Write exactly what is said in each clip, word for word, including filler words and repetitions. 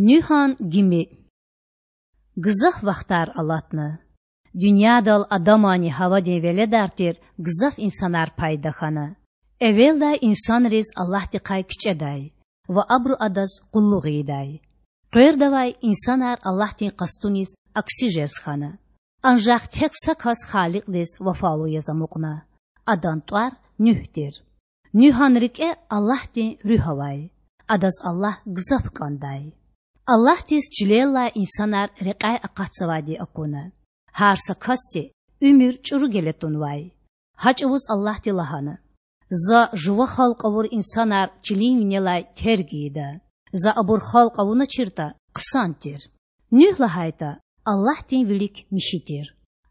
Нуьгьан гими. Гзаф вахтар алатна. Дуьньядал Адаманни Гьавадин веледар тир гзаф инсанар пайда хьана. Эвелдай инсанриз Аллагьдихъай кичІедай ва абуру Адаз къуллугъ ийидай. Къвердавай инсанар Аллагьдин къастуниз акси жез хьана. Анжах тек са кас Халикьдиз вафалу яз амукьна. Адан тІвар Нуьгь тир. Нуьгьан рикІе Аллагьдин Руьгь авай. Адаз Аллагь гзаф кІандай. Аллагьдиз чилеллай инсанар рекьяй акъатзавайди акуна. Гьар са касди уьмуьр чІуру геле тунвай. Гьа чІавуз Аллагьди лагьана: За жува халкь авур инсанар чилин винелай терг ийида. За абур халкь авуначиртІа, хъсан тир. Нуьгь лагьайтІа, Аллагьдин вилик михьи тир.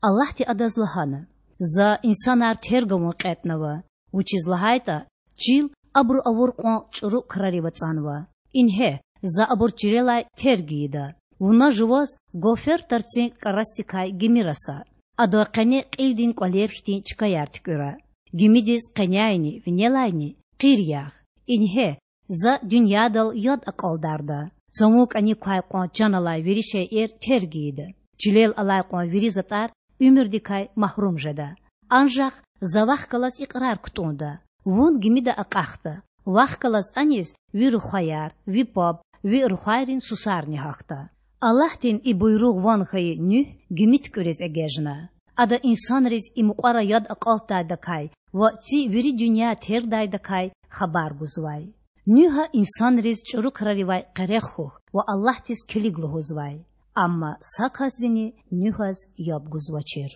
Аллагьди адаз лагьана: За инсанар терг авун кьетІнава, вучиз лагьайтІа чил абуру авур кьван чІуру крарив ацІанва. Ингье, За абур чилелай терг ийида. Вуна жуваз гофер тарцин кІарасдикай гими раса. Адан къене кьилдин кІвалер хьтин чкаяр туькІуьра. Гимидиз къеняйни, винелайни къир ягъ. Ингье, За дуьньядал яд акьалдарда. Цавун кІаник квай кьван чан алай вири шейэр терг ийида. Чилел алай кьван вири затІар уьмуьрдикай магьрум жеда. Анжах За вахъ галаз икьрар кутІунда: вун гимида акьахда. Вахъ галаз аниз ви рухваяр, ви паб, ви рухвайрин сусарни гьахьда. Аллагьдин и буйругъ ван хьайи Нуьгь гими туькІуьриз эгечІна. Ада инсанриз и мукьвара яд акьалтдайдакай ва ци вири дуьнья тергдайдакай хабар гузвай. Нуьгьа инсанриз чІуру краривай къерех хьухь ва Аллагьдиз килиг лугьузвай. Амма са касдини Нуьгьаз яб гузвачир.